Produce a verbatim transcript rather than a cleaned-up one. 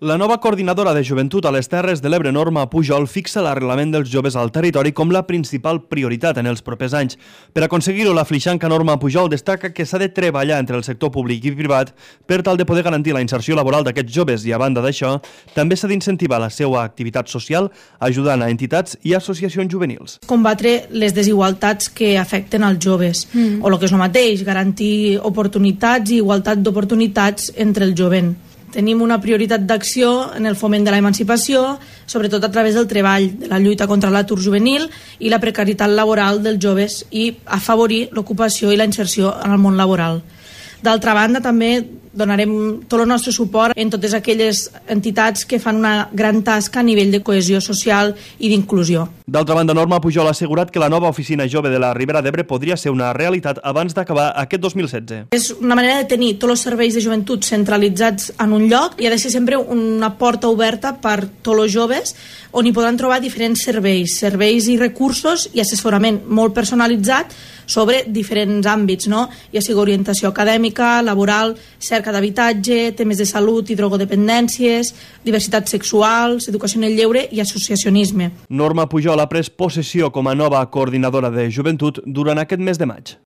La nova coordinadora de joventut a les Terres de l'Ebre, Norma Pujol, fixa l'arrelament dels joves al territori com la principal prioritat en els propers anys. Per aconseguir-ho, la flixanca Norma Pujol destaca que s'ha de treballar entre el sector públic i privat per tal de poder garantir la inserció laboral d'aquests joves i, a banda d'això, també s'ha d'incentivar la seva activitat social ajudant a entitats i associacions juvenils. Combatre les desigualtats que afecten als joves, mm. o el que és el mateix, garantir oportunitats i igualtat d'oportunitats entre el jovent. Tenim una prioritat d'acció en el foment de l'emancipació, sobretot a través del treball, de la lluita contra l'atur juvenil i la precarietat laboral dels joves i afavorir l'ocupació i la inserció en el món laboral. D'altra banda, també donarem tot el nostre suport en totes aquelles entitats que fan una gran tasca a nivell de cohesió social i d'inclusió. D'altra banda, Norma Pujol ha assegurat que la nova oficina jove de la Ribera d'Ebre podria ser una realitat abans d'acabar aquest dos mil setze. És una manera de tenir tots els serveis de joventut centralitzats en un lloc i ha de ser sempre una porta oberta per tots els joves on hi podran trobar diferents serveis, serveis i recursos i assessorament molt personalitzat sobre diferents àmbits, no? Ja sigui orientació acadèmica, laboral, cerca d'habitatge, temes de salut i drogodependències, diversitat sexuals, educació en el lleure i associacionisme. Norma Pujol ha pres possessió com a nova coordinadora de joventut durant aquest mes de maig.